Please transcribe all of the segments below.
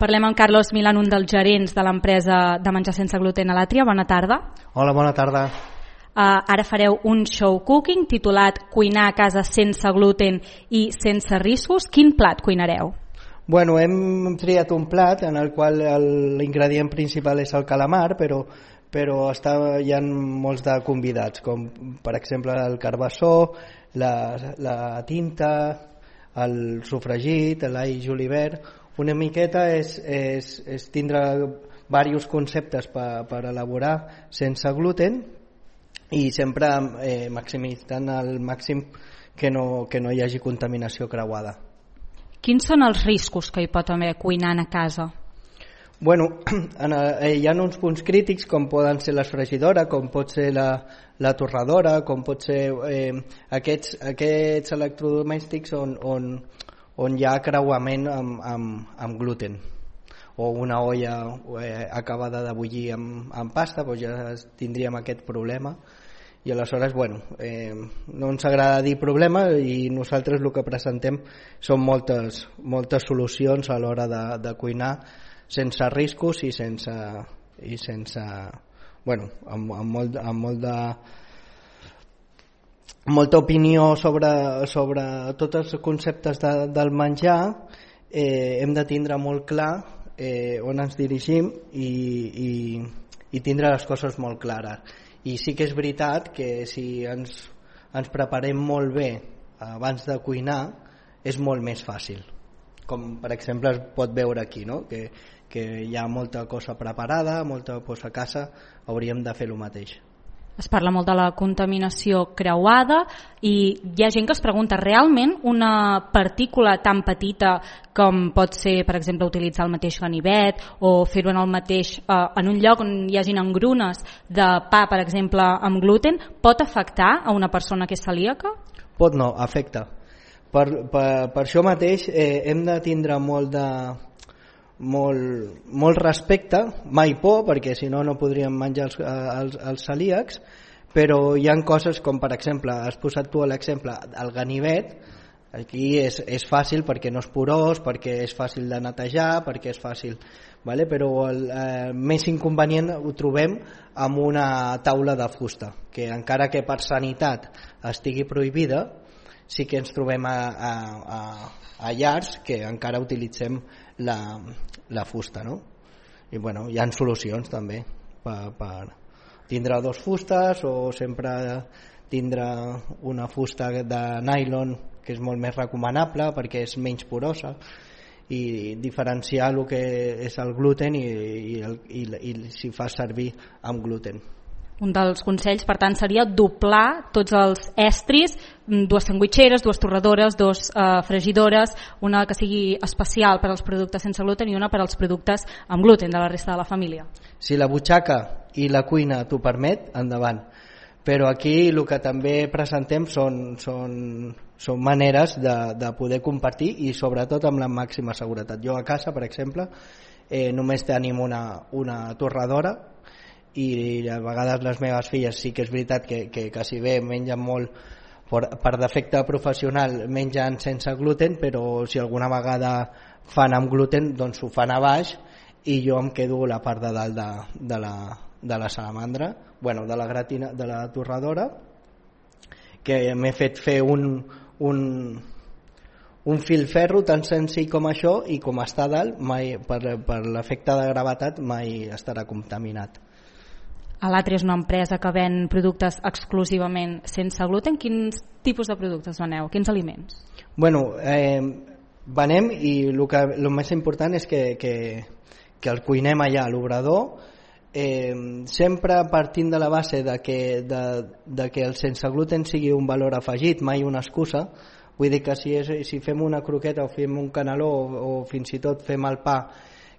Parlem amb Carlos Milán, un dels gerents de l'empresa de menjar sense gluten a l'Àtria. Bona tarda. Hola, bona tarda. Ara fareu un show cooking titulat Cuinar a casa sense gluten i sense riscos. Quin plat cuinareu? Bueno, hem triat un plat en el qual l'ingredient principal és el calamar, però hi ha molts de convidats, com per exemple el carbassó, la tinta, el sofregit, l'all julivert. Una miqueta és tindre diversos conceptes per elaborar sense gluten i sempre maximitzant al màxim que no hi hagi contaminació creuada. Quins són els riscos que hi pot haver cuinant a casa? Bueno, hi ha uns punts crítics com poden ser les fregidores, com pot ser la torradora, com pot ser aquests electrodomèstics on hi ha creuament amb gluten, o una olla acabada de bullir amb pasta, doncs ja tindríem aquest problema. I aleshores, bueno, no ens agrada dir problema i nosaltres el que presentem són moltes solucions a l'hora de cuinar sense riscos i sense bueno, amb molta opinió sobre tots els conceptes del menjar. Hem de tindre molt clar on ens dirigim i tindre les coses molt clares. I sí que és veritat que si ens preparem molt bé abans de cuinar és molt més fàcil, com per exemple es pot veure aquí, no? que hi ha molta cosa preparada, molta cosa a casa, hauríem de fer el mateix. Es parla molt de la contaminació creuada i hi ha gent que es pregunta, realment una partícula tan petita com pot ser, per exemple, utilitzar el mateix ganivet o fer-ho en un lloc on hi hagin engrunes de pa, per exemple, amb gluten, pot afectar a una persona que és celíaca? Pot no, afecta. Per això mateix hem de tindre molt respecte, mai por, perquè si no podríem menjar els celíacs, però hi ha coses com, per exemple, has posat tu l'exemple, el ganivet. Aquí és fàcil perquè no és porós, perquè és fàcil de netejar, perquè és fàcil, vale? Però el més inconvenient ho trobem amb una taula de fusta, que encara que per sanitat estigui prohibida, sí que ens trobem a llars que encara utilitzem la fusta, no? I bueno, hi ha solucions també per tindre dos fustes o sempre tindre una fusta de nylon que és molt més recomanable perquè és menys porosa, i diferenciar el que és el gluten i si fa servir amb gluten. Un dels consells, per tant, seria doblar tots els estris, 2 sandwitxeres, 2 torradores, 2 fregidores, una que sigui especial per als productes sense gluten i una per als productes amb gluten de la resta de la família. Si la butxaca i la cuina t'ho permet, endavant. Però aquí el que també presentem són maneres de poder compartir i sobretot amb la màxima seguretat. Jo a casa, per exemple, només tenim una torradora i a vegades les meves filles sí que és veritat que quasi bé mengen molt per defecte professional, mengen sense gluten, però si alguna vegada fan amb gluten doncs ho fan a baix i jo em quedo la part de dalt de la salamandra, bueno, de la torradora, que m'he fet fer un filferro tan senzill com això, i com està a dalt mai, per l'efecte de gravetat mai estarà contaminat. A l'Àtria és una empresa que ven productes exclusivament sense gluten. Quins tipus de productes veneu? Quins aliments? Bueno, venem, i el més important és que el cuinem allà a l'obrador, sempre partint de la base de que el sense gluten sigui un valor afegit, mai una excusa. Vull dir que si fem una croqueta o fem un caneló o fins i tot fem el pa,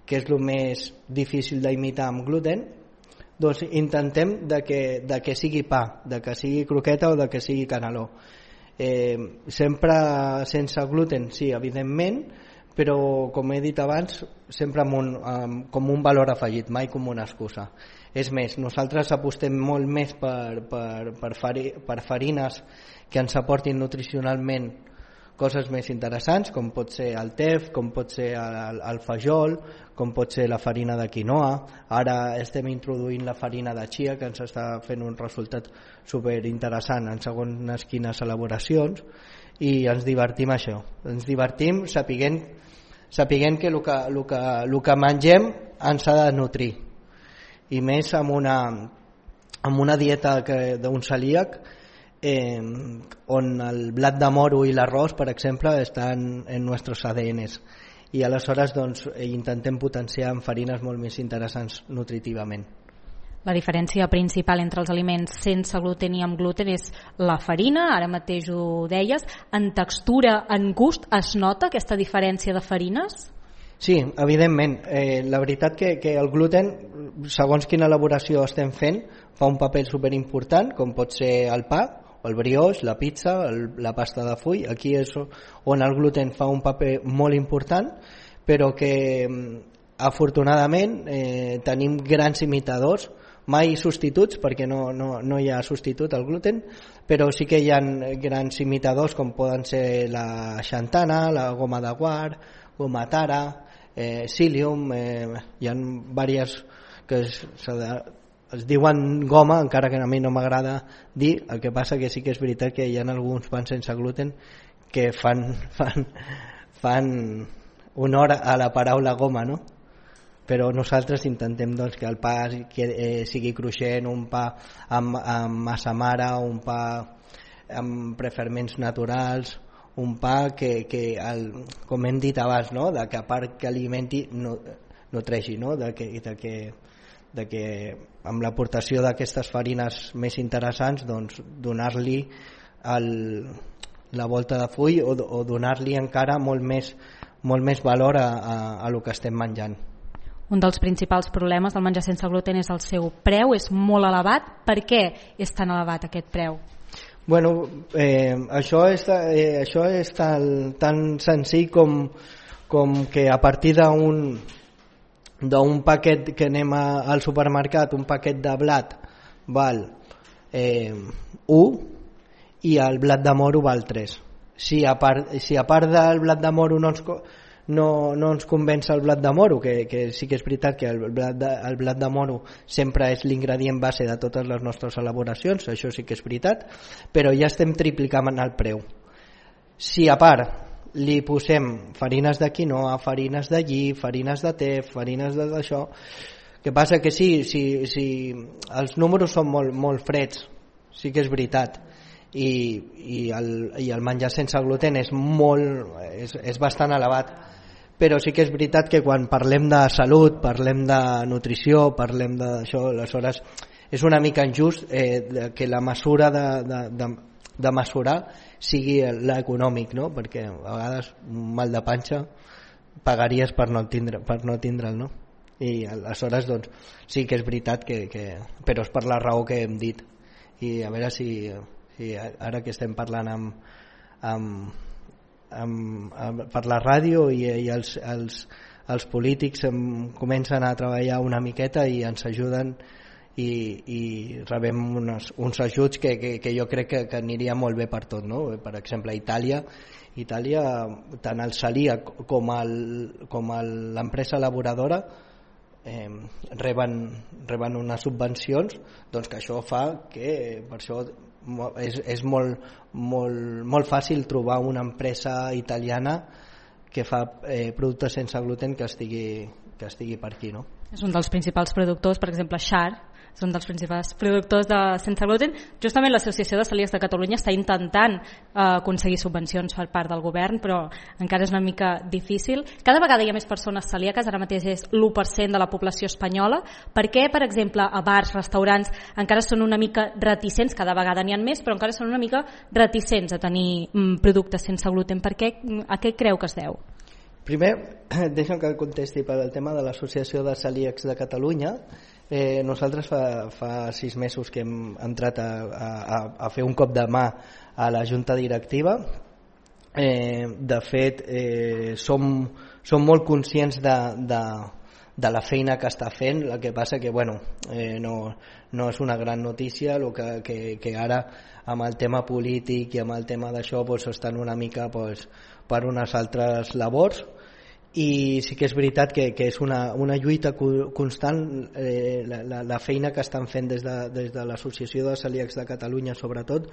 que és el més difícil d'imitar amb gluten, doncs intentem de que sigui pa, de que sigui croqueta o de que sigui caneló. Sempre sense gluten, sí, evidentment, però com he dit abans, sempre com un valor afegit, mai com una excusa. És més, nosaltres apostem molt més per farines que ens aportin nutricionalment coses més interessants, com pot ser el tef, com pot ser el fajol, com pot ser la farina de quinoa. Ara estem introduint la farina de chia, que ens està fent un resultat superinteressant en segons quines elaboracions, i ens divertim això. Ens divertim sapiguent que el que mengem ens ha de nutrir, i més amb una dieta d'un celíac on el blat de moro i l'arròs, per exemple, estan en nostres ADNs, i aleshores doncs, intentem potenciar amb farines molt més interessants nutritivament. La diferència principal entre els aliments sense gluten i amb gluten és la farina, ara mateix ho deies. En textura, en gust, es nota aquesta diferència de farines? Sí, evidentment. La veritat que el gluten, segons quina elaboració estem fent, fa un paper superimportant, com pot ser el pa, el brioix, la pizza, la pasta de full. Aquí és on el gluten fa un paper molt important, però que afortunadament tenim grans imitadors, mai substituts, perquè no hi ha substitut al gluten, però sí que hi ha grans imitadors com poden ser la xantana, la goma de guar, goma tara, psyllium, hi ha diverses que es diuen goma, encara que a mi no m'agrada dir. El que passa que sí que és veritat que hi ha alguns pans sense gluten que fan honor a la paraula goma, no? Però nosaltres intentem doncs, que el pa sigui cruixent, un pa amb massa mare, un pa amb preferments naturals, un pa que com hem dit abans, no? De que a part que alimenti nutreixi, no? De que amb l'aportació d'aquestes farines més interessants doncs, donar-li la volta de full o donar-li encara molt més valor a lo que estem menjant. Un dels principals problemes del menjar sense gluten és el seu preu, és molt elevat. Per què és tan elevat aquest preu? Bueno, això és tan senzill com que a partir d'un paquet que anem al supermercat, un paquet de blat val 1 i el blat de moro val 3. Si a part del blat de moro no ens convenç el blat de moro, que sí que és veritat que el blat de moro sempre és l'ingredient base de totes les nostres elaboracions, això sí que és veritat, però ja estem triplicant el preu. Si a part li posem farines de quinoa, farines de lli, farines de tef, farines d'això, que passa que sí, els números són molt freds, sí que és veritat, i el menjar sense gluten és bastant elevat, però sí que és veritat que quan parlem de salut, parlem de nutrició, parlem d'això, aleshores és una mica injust que la mesura de mesurar sigui l'econòmic, no? Perquè a vegades un mal de panxa pagaries per no tindre'l, no? I aleshores doncs, sí que és veritat però és per la raó que hem dit. I a veure si ara que estem parlant per la ràdio i els polítics comencen a treballar una miqueta i ens ajuden i rebem uns ajuts que jo crec que aniria molt bé per tot, no? Per exemple, a Itàlia tant el celíac com l'empresa elaboradora reben unes subvencions, doncs que això fa que per això és molt fàcil trobar una empresa italiana que fa productes sense gluten que estigui per aquí, no? És un dels principals productors, per exemple Char és un dels principals productors sense gluten. Justament l'Associació de Celíacs de Catalunya està intentant aconseguir subvencions per part del govern, però encara és una mica difícil. Cada vegada hi ha més persones celíaques, ara mateix és l'1% de la població espanyola. Per què, per exemple, a bars, restaurants encara són una mica reticents, cada vegada n'hi ha més, però encara són una mica reticents a tenir productes sense gluten? Per què? A què creu que es deu? Primer, deixa'm que contesti per al tema de l'Associació de Celíacs de Catalunya. Nosaltres fa 6 mesos que hem entrat a fer un cop de mà a la junta directiva. De fet, som molt conscients de la feina que està fent. El que passa que bueno, no és una gran notícia, el que ara amb el tema polític i amb el tema d'això pues, estan una mica pues, per unes altres labors, i sí que és veritat que és una lluita constant, la feina que estan fent des de l'Associació de Celíacs de Catalunya sobretot,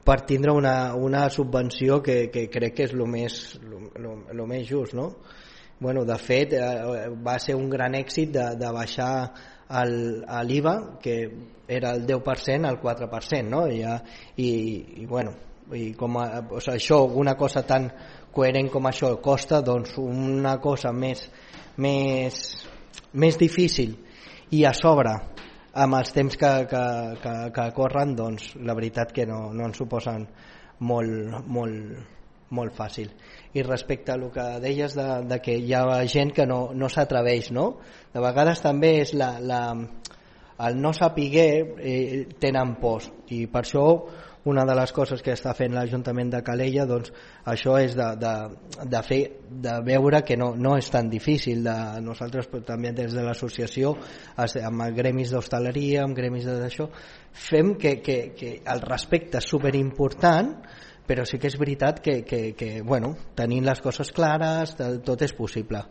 per tindre una subvenció que crec que és el més just, no? Bueno, de fet va ser un gran èxit de baixar l'IVA, que era el 10% al 4%, no? I bueno, i com això, una cosa tan coherent com això costa, doncs una cosa més difícil i a sobre amb els temps que corren, doncs la veritat que no ens suposen molt fàcil. I respecte a el que deies de que hi ha gent que no s'atreveix, no? De vegades també és el no saber, tenen pors, i per això una de les coses que està fent l'Ajuntament de Calella, doncs això és de veure que no és tan difícil. Nosaltres també des de l'associació, amb gremis d'hostaleria, amb gremis d'això, fem que el respecte és superimportant, però sí que és veritat que bueno, tenint les coses clares tot és possible.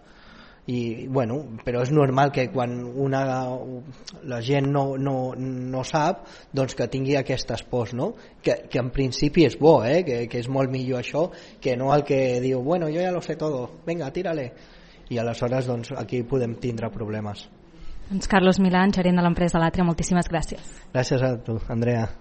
I, bueno, però és normal que quan la gent no sap, doncs que tingui aquestes pors, no? Que en principi és bo, que és molt millor això que no el que diu, bueno, jo ja lo sé todo, venga, tírale, i aleshores doncs, aquí podem tindre problemes. Doncs Carlos Milán, gerent de l'empresa L'Àtria, moltíssimes gràcies. Gràcies a tu, Andrea.